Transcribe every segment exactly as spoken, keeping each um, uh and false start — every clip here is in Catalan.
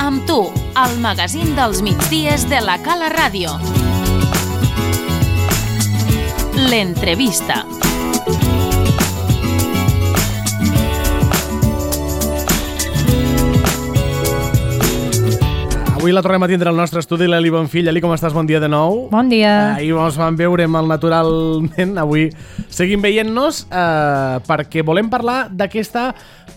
Amb tu, el magazín dels migdies de la Cala Ràdio. L'entrevista. Avui la tornem a tindre al nostre estudi l'Eli Bonfill. Eli, com estàs? Bon dia de nou. Bon dia. Ahir ens vam veure mal naturalment. Avui seguim veient-nos eh, perquè volem parlar d'aquesta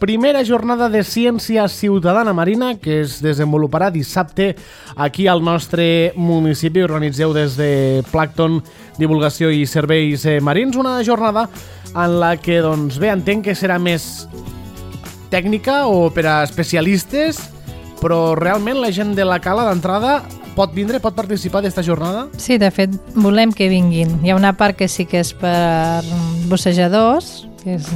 primera jornada de ciència ciutadana marina que es desenvoluparà dissabte aquí al nostre municipi. Organitzeu des de Plàncton, Divulgació i Serveis Marins una jornada en la que, doncs bé, entenc que serà més tècnica o per a especialistes, però realment la gent de la Cala d'entrada pot vindre, pot participar d'esta jornada? Sí, de fet, volem que vinguin. Hi ha una part que sí que és per bussejadors, que és,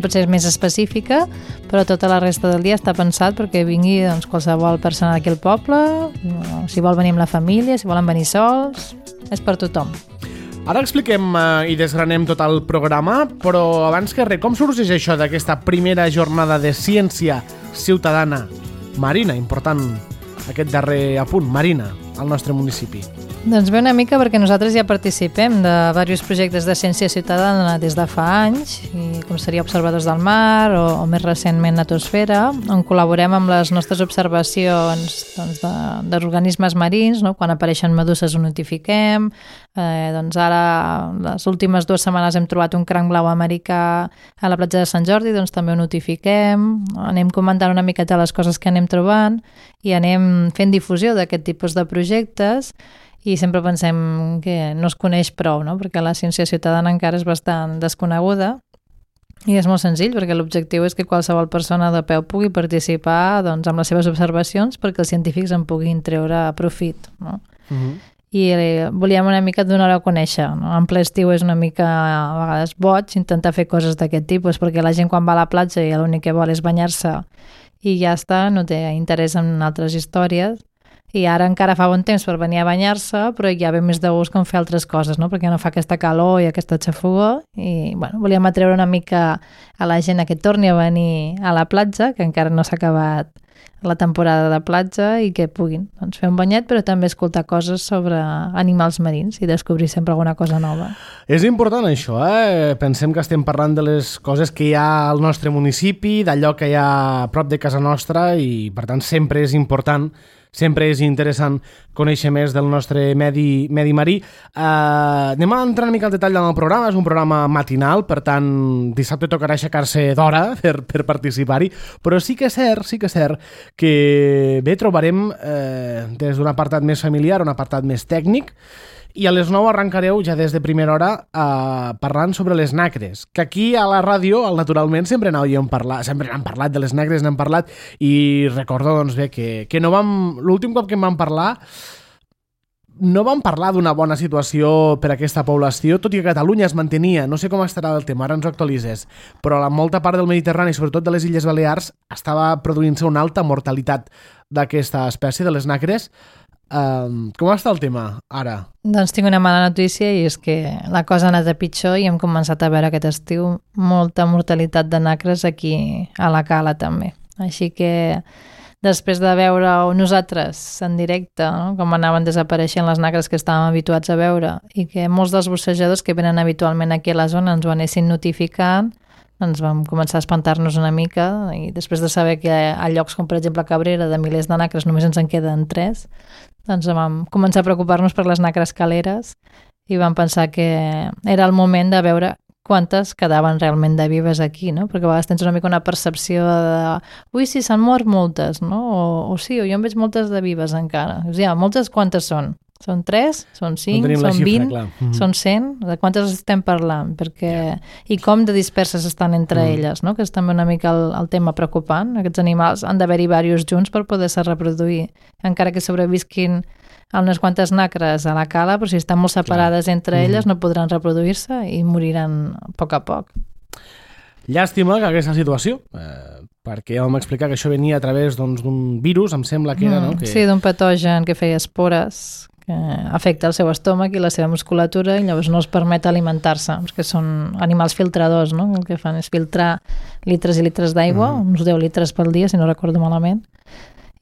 potser és més específica, però tota la resta del dia està pensat perquè vingui doncs, qualsevol persona d'aquí al poble, si vol venir amb la família, si volen venir sols, és per tothom. Ara expliquem eh, i desgranem tot el programa, però abans que res, com sorgeix això d'aquesta primera jornada de ciència ciutadana marina, important aquest darrer apunt, marina, al nostre municipi? Doncs ve una mica perquè nosaltres ja participem de diversos projectes de ciència ciutadana des de fa anys, i com seria Observadors del Mar o, o més recentment Natosfera, on col·laborem amb les nostres observacions doncs, d'organismes marins, no? Quan apareixen meduses ho notifiquem, eh, doncs ara les últimes dues setmanes hem trobat un cranc blau americà a la platja de Sant Jordi, doncs també ho notifiquem, anem comentant una miqueta les coses que anem trobant i anem fent difusió d'aquest tipus de projectes. I sempre pensem que no es coneix prou, no? Perquè la ciència ciutadana encara és bastant desconeguda i és molt senzill perquè l'objectiu és que qualsevol persona de peu pugui participar doncs, amb les seves observacions perquè els científics en puguin treure profit, no? Uh-huh. I eh, volíem una mica donar-ho a conèixer, no? En ple estiu és una mica a vegades boig intentar fer coses d'aquest tipus perquè la gent quan va a la platja i l'únic que vol és banyar-se i ja està, no té interès en altres històries. I ara encara fa bon temps per venir a banyar-se, però ja ve més de gust com fer altres coses, no? Perquè no fa aquesta calor i aquesta xafogor. I bueno, volíem atreure una mica a la gent a que torni a venir a la platja, que encara no s'ha acabat la temporada de platja, i que puguin doncs, fer un banyet, però també escoltar coses sobre animals marins i descobrir sempre alguna cosa nova. És important això, eh? Pensem que estem parlant de les coses que hi ha al nostre municipi, d'allò que hi ha a prop de casa nostra, i per tant sempre és important, sempre és interessant conèixer més del nostre medi, medi marí. Uh, anem a entrar una mica al detall del programa. És un programa matinal, per tant, dissabte tocarà aixecar-se d'hora per, per participar-hi, però sí que és cert, sí que és cert que bé, trobarem eh, des d'un apartat més familiar, un apartat més tècnic, i a les nou arrencareu ja des de primera hora eh, parlant sobre les nacres, que aquí a la ràdio, al Naturalment, sempre n'havíem parlat, sempre n'hem parlat de les nacres, n'hem parlat, i recordo doncs bé que, que no vam, l'últim cop que en vam parlar no vam parlar d'una bona situació per a aquesta població, tot i que Catalunya es mantenia, no sé com estarà el tema, ara ens ho actualitzes, però la molta part del Mediterrani, sobretot de les Illes Balears, estava produint-se una alta mortalitat d'aquesta espècie, de les nacres. Um, com està el tema ara? Doncs tinc una mala notícia i és que la cosa ha anat a pitjor i hem començat a veure aquest estiu molta mortalitat de nacres aquí a la Cala també. Així que després de veure nosaltres en directe, no? Com anaven desapareixent les nacres que estàvem habituats a veure i que molts dels bussejadors que venen habitualment aquí a la zona ens ho anessin notificant, doncs vam començar a espantar-nos una mica i després de saber que a llocs com per exemple Cabrera de milers de nacres només ens en queden tres, doncs vam començar a preocupar-nos per les nacres caleres i vam pensar que era el moment de veure quantes quedaven realment de vives aquí, no? Perquè a vegades tens una mica una percepció de ui, sí, s'han mort moltes, no? O, o sí, o jo en veig moltes de vives encara. O sigui, moltes quantes són? Són tres? Són cinc? No són xifra, vint? mm-hmm. Són cent? De quantes estem parlant? Perquè... I com de disperses estan entre mm. elles, no? Que és també una mica el, el tema preocupant. Aquests animals han d'haver-hi diversos junts per poder-se reproduir. Encara que sobrevisquin unes quantes nacres a la Cala, però si estan molt separades Clar. entre elles mm. no podran reproduir-se i moriran a poc a poc. Llàstima que aquesta situació, eh, perquè ja vam explicar que això venia a través doncs, d'un virus, em sembla que era, mm, no? Que... Sí, d'un patogen que feia espores, que afecta el seu estómac i la seva musculatura i llavors no els permet alimentar-se, perquè són animals filtradors, no? El que fan és filtrar litres i litres d'aigua, mm. uns deu litres pel dia, si no recordo malament,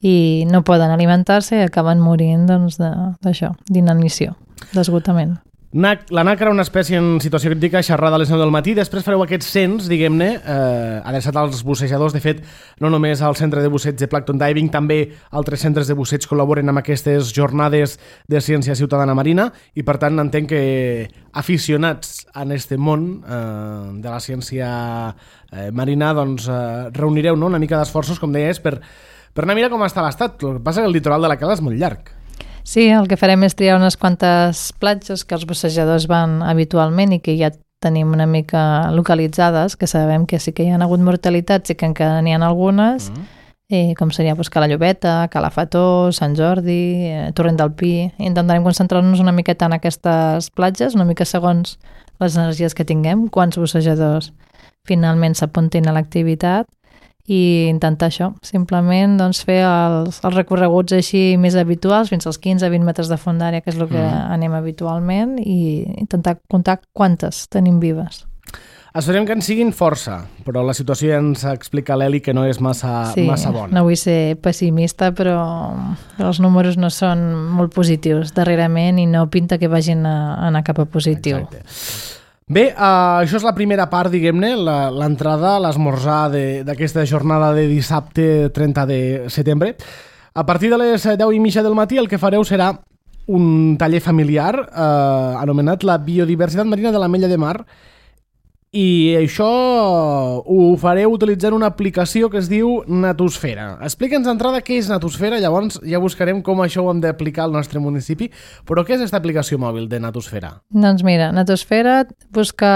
i no poden alimentar-se i acaben morint doncs, d'això, d'inanició, d'esgotament. La N A C era una espècie en situació crítica xerrada a les nou del matí. Després fareu aquest cens, diguem-ne, eh, adreçat als bussejadors. De fet, no només al Centre de Busseig de Plankton Diving, també altres centres de busseig col·laboren amb aquestes jornades de ciència ciutadana marina i, per tant, entenc que aficionats en este món eh, de la ciència eh, marina doncs, eh, reunireu no? una mica d'esforços, com deies, per, per anar a mirar com està l'estat. El que passa és que el litoral de la Cala és molt llarg. Sí, el que farem és triar unes quantes platges que els bussejadors van habitualment i que ja tenim una mica localitzades, que sabem que sí que hi ha hagut mortalitats i que encara n'hi ha algunes, mm. eh, com seria pues, Cala Llobeta, Cala Fató, Sant Jordi, eh, Torrent del Pi. Intentarem concentrar-nos una miqueta en aquestes platges, una mica segons les energies que tinguem, quants bussejadors finalment s'apuntin a l'activitat, i intentar això, simplement doncs, fer els, els recorreguts així més habituals, fins als quinze a vint metres de fondària, que és el que mm. anem habitualment, i intentar comptar quantes tenim vives. Esperem que en siguin força, però la situació ja ens explica l'Eli que no és massa, sí, massa bona. No vull ser pessimista, però els números no són molt positius darrerament i no pinta que vagin a anar cap a positiu. Exacte. Bé, uh, això és la primera part, diguem-ne, l'entrada, l'esmorzar d'aquesta jornada de dissabte trenta de setembre. A partir de les deu i mitja del matí el que fareu serà un taller familiar eh, anomenat la biodiversitat marina de l'Ametlla de Mar, i això ho fareu utilitzant una aplicació que es diu Natosfera. Explica'ns d'entrada què és Natosfera, llavors ja buscarem com això ho hem d'aplicar al nostre municipi, però què és aquesta aplicació mòbil de Natosfera? Doncs mira, Natosfera busca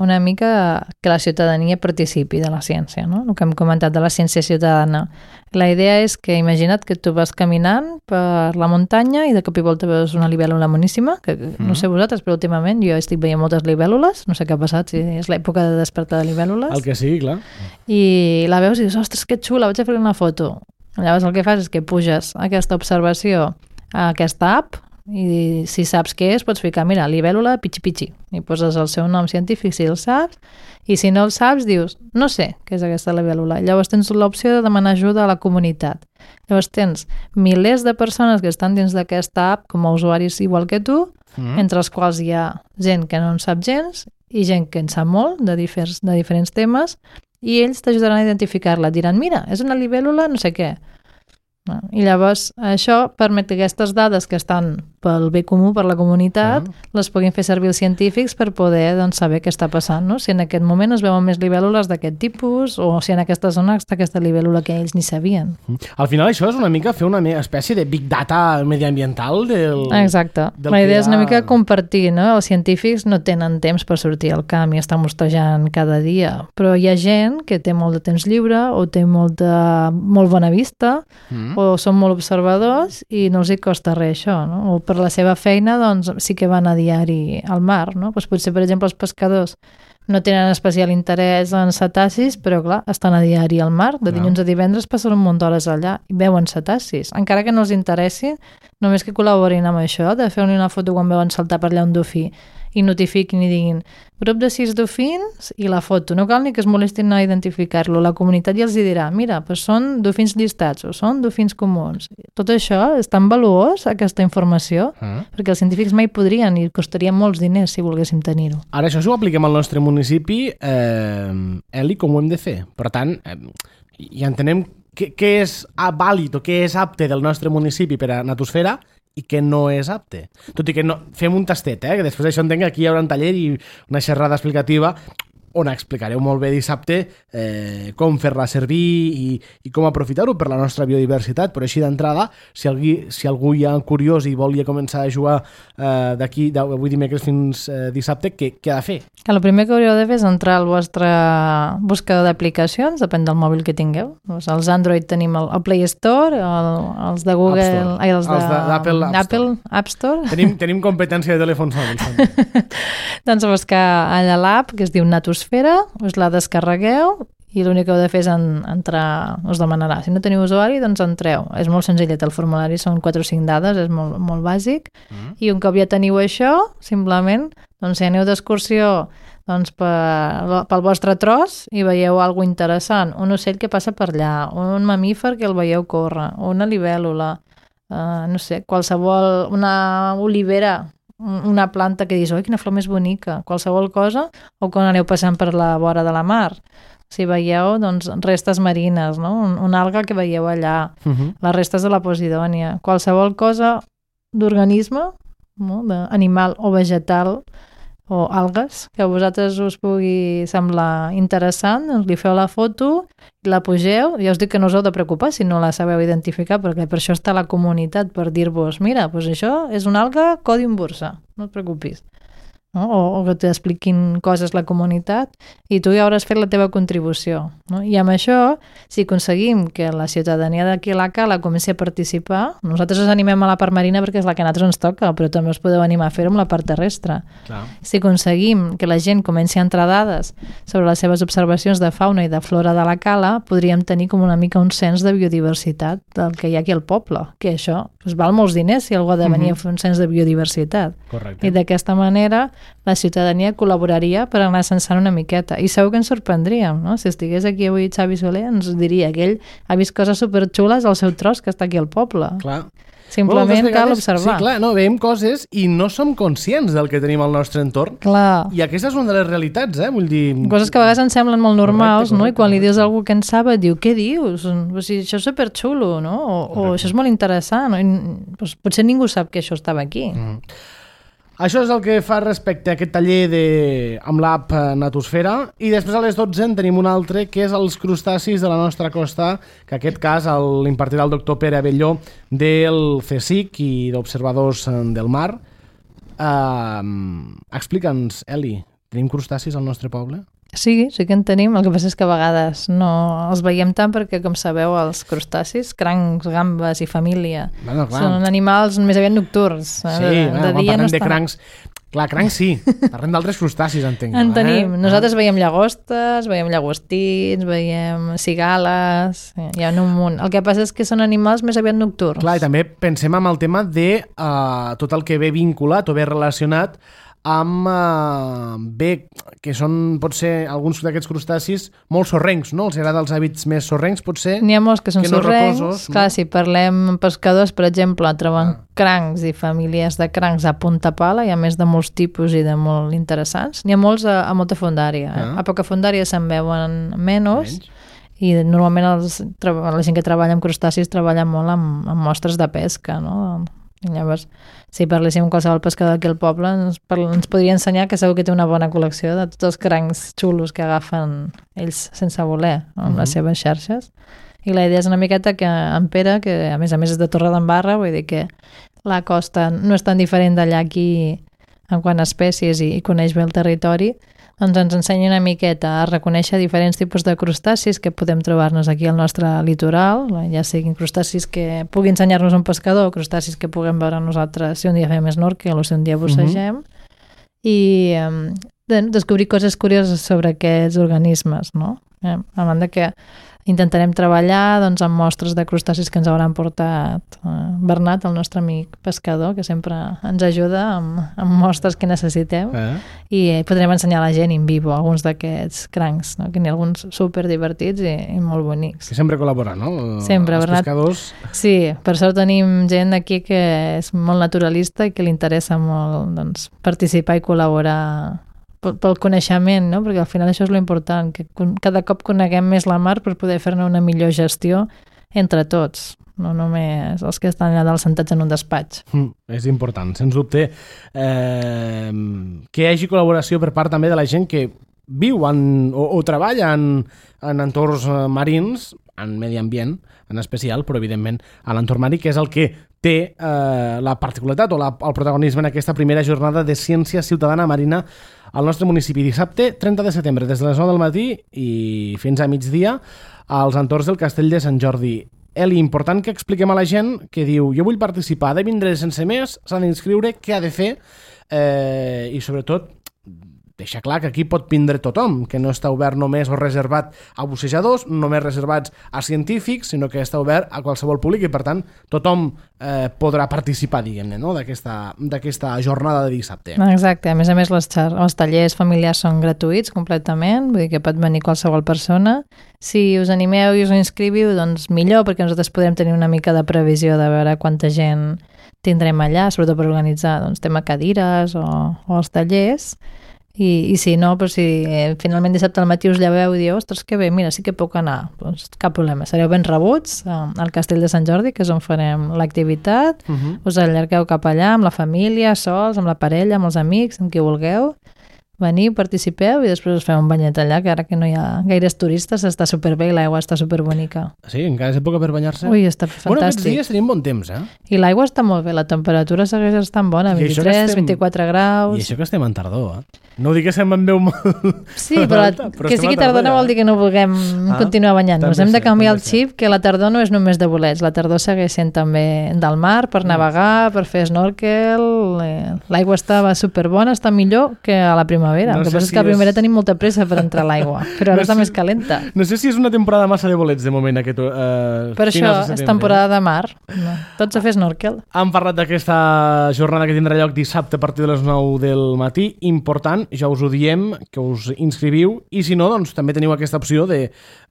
una mica que la ciutadania participi de la ciència, no? El que hem comentat de la ciència ciutadana. La idea és que imagina't que tu vas caminant per la muntanya i de cop i volta veus una libèl·lula moníssima, que mm. no sé vosaltres, però últimament jo estic veient moltes libèl·lules, no sé què ha passat, si és l'època de despertar de libèl·lules. El que sigui, clar. I la veus i dius, ostres, que xula, vaig a fer una foto. Llavors el que fas és que puges aquesta observació a aquesta app i si saps què és, pots ficar, mira, libèl·lula pichi-pichi, i poses el seu nom científic si el saps, i si no el saps dius, no sé què és aquesta libèl·lula. Llavors tens l'opció de demanar ajuda a la comunitat. Llavors tens milers de persones que estan dins d'aquesta app com a usuaris igual que tu, mm. entre els quals hi ha gent que no en sap gens i gent que en sap molt de, diferents, de diferents temes, i ells t'ajudaran a identificar-la. Diran, mira, és una libèl·lula no sé què. I llavors això permet que aquestes dades que estan pel bé comú, per la comunitat, uh-huh. les puguin fer servir els científics per poder doncs, saber què està passant, no? Si en aquest moment es veuen més libèl·lules d'aquest tipus o si en aquesta zona està aquesta libèl·lula que ells ni sabien. Al final això és una mica fer una espècie de big data mediambiental del... Exacte. Del la idea ha... és una mica compartir, no? Els científics no tenen temps per sortir al camp i estar mostejant cada dia, però hi ha gent que té molt de temps lliure o té molt, de... molt bona vista mm. o són molt observadors i no els hi costa res això, no? O per la seva feina doncs sí que van a diari al mar, no? Doncs potser, per exemple, els pescadors no tenen especial interès en cetacis, però clar, estan a diari al mar, de dilluns a divendres passen un munt d'hores allà i veuen cetacis, encara que no els interessi, només que col·laborin amb això, de fer una foto quan veuen saltar per allà un dofí i notifiquin i diguin grup de sis dofins i la foto. No cal ni que es molestin a identificar-lo. La comunitat ja els dirà, mira, doncs són dofins llistats o són dofins comuns. Tot això és tan valuós, aquesta informació, uh-huh. perquè els científics mai podrien i costaria molts diners si volguéssim tenir-ho. Ara, això si ho apliquem al nostre municipi, eh, Eli, com ho hem de fer? Per tant, eh, ja entenem què, què és vàlid o què és apte del nostre municipi per a Natosfera i que no és apte. Tot i que no, fem un tastet, eh? Que després d'això entenc que aquí hi haurà un taller i una xerrada explicativa on explicareu molt bé dissabte eh, com fer-la servir i, i com aprofitar-ho per la nostra biodiversitat, però així d'entrada, si algú, si algú hi ha curiós i volia començar a jugar eh, d'aquí, avui dimecres fins eh, dissabte, què, què ha de fer? Que el primer que hauríeu de fer és entrar al vostre buscador d'aplicacions, depèn del mòbil que tingueu. Doncs els Android tenim el, el Play Store, el, els de Google, ai, els d'Apple App, App Store. Tenim, tenim competència de telèfons mòbils. Doncs buscar allà l'app que es diu Natosfera, us la descarregueu i l'únic que heu de fer és en, entrar, us demanarà. Si no teniu usuari, doncs entreu. És molt senzillet, el formulari són quatre o cinc dades, és molt, molt bàsic, mm. i un cop ja teniu això, simplement, doncs si aneu d'excursió doncs per, pel vostre tros i veieu alguna interessant, un ocell que passa per allà, un mamífer que el veieu córrer, una libèl·lula, uh, no sé, qualsevol, una olivera, una planta que dius, oi, quina flor més bonica, qualsevol cosa, o quan aneu passant per la vora de la mar. Si veieu, doncs, restes marines, no? Un, una alga que veieu allà, uh-huh. les restes de la Posidònia, qualsevol cosa d'organisme, no? D'animal o vegetal, o algues, que a vosaltres us pugui semblar interessant, doncs li feu la foto, la pugeu, ja us dic que no us heu de preocupar si no la sabeu identificar, perquè per això està la comunitat, per dir-vos, mira, doncs això és una alga còdium bursa, no et preocupis. No? O, o que t'expliquin coses la comunitat i tu ja hauràs fet la teva contribució. No? I amb això, si aconseguim que la ciutadania d'aquí a la Cala comenci a participar, nosaltres us animem a la part marina perquè és la que a nosaltres ens toca, però també us podeu animar a fer-ho amb la part terrestre. Clar. Si aconseguim que la gent comenci a entrar dades sobre les seves observacions de fauna i de flora de la Cala, podríem tenir com una mica un cens de biodiversitat del que hi ha aquí al poble, que això us val molts diners si algú ha de venir uh-huh. a fer un cens de biodiversitat. Correcte. I d'aquesta manera la ciutadania col·laboraria per anar censant una miqueta. I segur que ens sorprendríem, no? Si estigués aquí avui Xavi Soler, ens diria que ell ha vist coses superxules al seu tros que està aquí al poble. Clar. Simplement bueno, vegades, cal observar. Sí, clar, no, veiem coses i no som conscients del que tenim al nostre entorn. Clar. I aquesta és una de les realitats, eh? Vull dir... Coses que a vegades ens semblen molt normals, correcte, correcte, no? I quan li dius a algú que en sap, et diu, què dius? O sigui, això és superxulo, no? O, o això és molt interessant. No? I, doncs, potser ningú sap que això estava aquí. Mm. Això és el que fa respecte a aquest taller de... amb l'app Natosfera, i després a les dotze en tenim un altre que és els crustacis de la nostra costa, que en aquest cas l'impartirà el doctor Pere Abelló del CSIC i d'Observadors del Mar. Uh, Explica'ns, Eli, tenim crustacis al nostre poble? Sí, sí que en tenim, el que passa és que a vegades no els veiem tant perquè, com sabeu, els crustacis, crancs, gambes i família, bueno, són animals més aviat nocturns. Sí, de, de bueno, quan parlem no de crancs, clar, crancs sí, parlem d'altres crustacis, entenc. En tenim, eh? Nosaltres veiem llagostes, veiem llagostins, veiem cigales, hi ha un munt. El que passa és que són animals més aviat nocturns. Clar, i també pensem en el tema de uh, tot el que ve vinculat o ve relacionat amb uh, bé, que són, pot ser, alguns d'aquests crustacis molt sorrencs, no? Els agrada els hàbits més sorrencs, potser? N'hi ha molts que són que no sorrencs. Reposos, clar, no? Si parlem amb pescadors, per exemple, troben ah. crancs i famílies de crancs a punta pala, hi ha més de molts tipus i de molt interessants. N'hi ha molts a, a molta fondària. Eh? Ah. A poca fondària se'n veuen menys, menys. I normalment els, la gent que treballa amb crustacis treballa molt amb, amb mostres de pesca, no? I llavors, si parléssim amb qualsevol pescador aquí al poble, ens, ens podria ensenyar que segur que té una bona col·lecció de tots els crancs xulos que agafen ells sense voler, no? Amb uh-huh. les seves xarxes. I la idea és una miqueta que en Pere, que a més a més és de Torredembarra, vull dir que la costa no és tan diferent d'allà aquí en quant a espècies i, i coneix bé el territori, doncs ens ensenya una miqueta a reconèixer diferents tipus de crustacis que podem trobar-nos aquí al nostre litoral, ja siguin crustacis que pugui ensenyar-nos un pescador, crustacis que puguem veure nosaltres si un dia fem snorkel o si un dia bussegem, uh-huh. i eh, descobrir coses curioses sobre aquests organismes, no? Eh, a banda que intentarem treballar doncs, amb mostres de crustacis que ens hauran portat eh, Bernat, el nostre amic pescador, que sempre ens ajuda amb, amb mostres que necessitem, eh? i eh, podrem ensenyar a la gent in vivo alguns d'aquests crancs, no? Que n'hi ha alguns super divertits i, i molt bonics. Que sempre col·labora, no? Sempre, Els Bernat. Pescadors. Sí, per sort tenim gent aquí que és molt naturalista i que li interessa molt doncs, participar i col·laborar pel coneixement, no? Perquè al final això és l'important, que cada cop coneguem més la mar per poder fer-ne una millor gestió entre tots, no només els que estan allà dalt sentats en un despatx. Mm, és important, sens dubte, eh, que hi hagi col·laboració per part també de la gent que viu en, o, o treballa en, en entorns marins, en medi ambient en especial, però evidentment a l'entorn marí, que és el que té eh, la particularitat o la, el protagonisme en aquesta primera jornada de ciència ciutadana marina al nostre municipi. Dissabte, trenta de setembre, des de les nou del matí i fins a migdia, als entorns del Castell de Sant Jordi. Eli, important que expliquem a la gent que diu jo vull participar, ha de vindre sense més, s'ha d'inscriure, què ha de fer, eh, i sobretot deixa clar que aquí pot vindre tothom, que no està obert només o reservat a bussejadors, només reservats a científics, sinó que està obert a qualsevol públic i, per tant, tothom eh, podrà participar, diguem-ne, no? d'aquesta jornada de dissabte. Exacte, a més a més les, els tallers familiars són gratuïts completament, vull dir que pot venir qualsevol persona. Si us animeu i us inscriviu, doncs millor, perquè nosaltres podem tenir una mica de previsió de veure quanta gent tindrem allà, sobretot per organitzar doncs, tema cadires o, o els tallers. I, i si no, però si eh, finalment dissabte al matí us lleveu i dieu, ostres, que bé, mira, sí que puc anar, doncs cap problema, sereu ben rebuts eh, al Castell de Sant Jordi, que és on farem l'activitat, uh-huh. us allargueu cap allà amb la família, sols, amb la parella, amb els amics, amb qui vulgueu, veniu, participeu i després us feu un banyet allà, que ara que no hi ha gaires turistes està superbé i l'aigua està superbonica. Sí, encara és època per banyar-se? Ui, està fantàstic. Bueno, aquests dies tenim bon temps, eh? I l'aigua està molt bé, la temperatura segueix estant bona, vint-i-tres, estem... vint-i-quatre graus... I això que estem en tardor, eh? No ho dic que se'm en veu molt... Sí, però, alta, però que sigui tardor no vol dir que no vulguem ah, continuar banyant-nos. Hem de canviar el xip, que la tardor no és només de bolets, la tardor segueix sent també del mar, per navegar, per fer snorkel... L'aigua estava superbona, està millor que a la primavera. No el que passa si és que a la primavera és... tenim molta pressa per entrar a l'aigua, però ara no està sé... més calenta. No sé si és una temporada massa de bolets de moment aquest... Uh, per això és temporada de mar. No. Tots a fer snorkel. Hem parlat d'aquesta jornada que tindrà lloc dissabte a partir de les nou del matí. Important, ja us ho diem, que us inscriviu, i si no, doncs també teniu aquesta opció de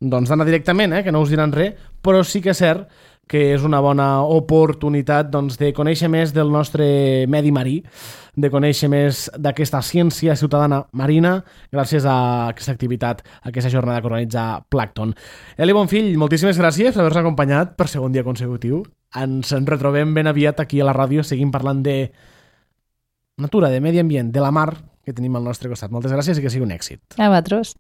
doncs, d'anar directament, eh, que no us diran res, però sí que és cert que és una bona oportunitat doncs, de conèixer més del nostre medi marí, de conèixer més d'aquesta ciència ciutadana marina gràcies a aquesta activitat, a aquesta jornada que organitza Plankton. Eli Bonfill, moltíssimes gràcies per haver-nos acompanyat per segon dia consecutiu. Ens en retrobem ben aviat aquí a la ràdio, seguim parlant de natura, de medi ambient, de la mar que tenim al nostre costat. Moltes gràcies i que sigui un èxit. A vosaltres.